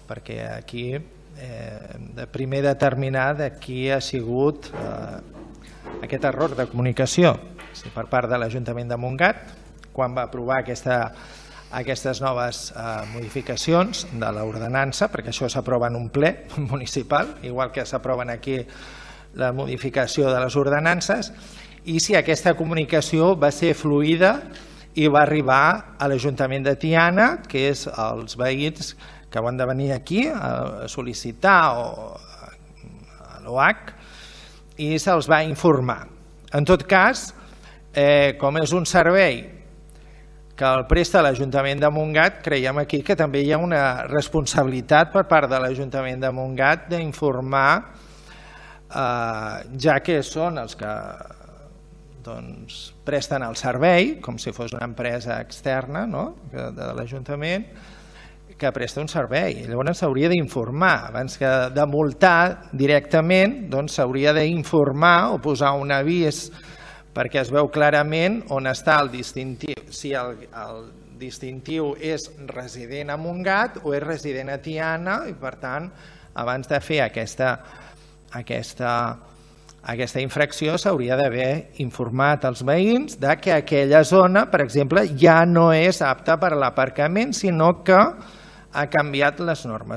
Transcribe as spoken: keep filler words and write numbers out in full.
perquè aquí hem de primer determinar de qui ha sigut aquest error de comunicació. Si per part de l'Ajuntament de Montgat, quan va aprovar aquestes noves modificacions de l'ordenança, perquè això s'aprova en un ple municipal, igual que s'aproven aquí la modificació de les ordenances, i si aquesta comunicació va ser fluida i va arribar a l'Ajuntament de Tiana, que és els veïns que van de venir aquí a sol·licitar a l'O H i se'ls va informar. En tot cas, com és un servei que el presta l'Ajuntament de Montgat, creiem aquí que també hi ha una responsabilitat per part de l'Ajuntament de Montgat d'informar, ja que són els que presten el servei, com si fos una empresa externa de l'Ajuntament, que presta un servei. Llavors s'hauria d'informar. Abans que de multar directament, s'hauria d'informar o posar un avís perquè es veu clarament on està el distintiu. Si el distintiu és resident a Montgat o és resident a Tiana i, per tant, abans de fer aquesta Aquesta infracció s'hauria d'haver informat als veïns que aquella zona, per exemple, ja no és apta per a l'aparcament, sinó que ha canviat les normes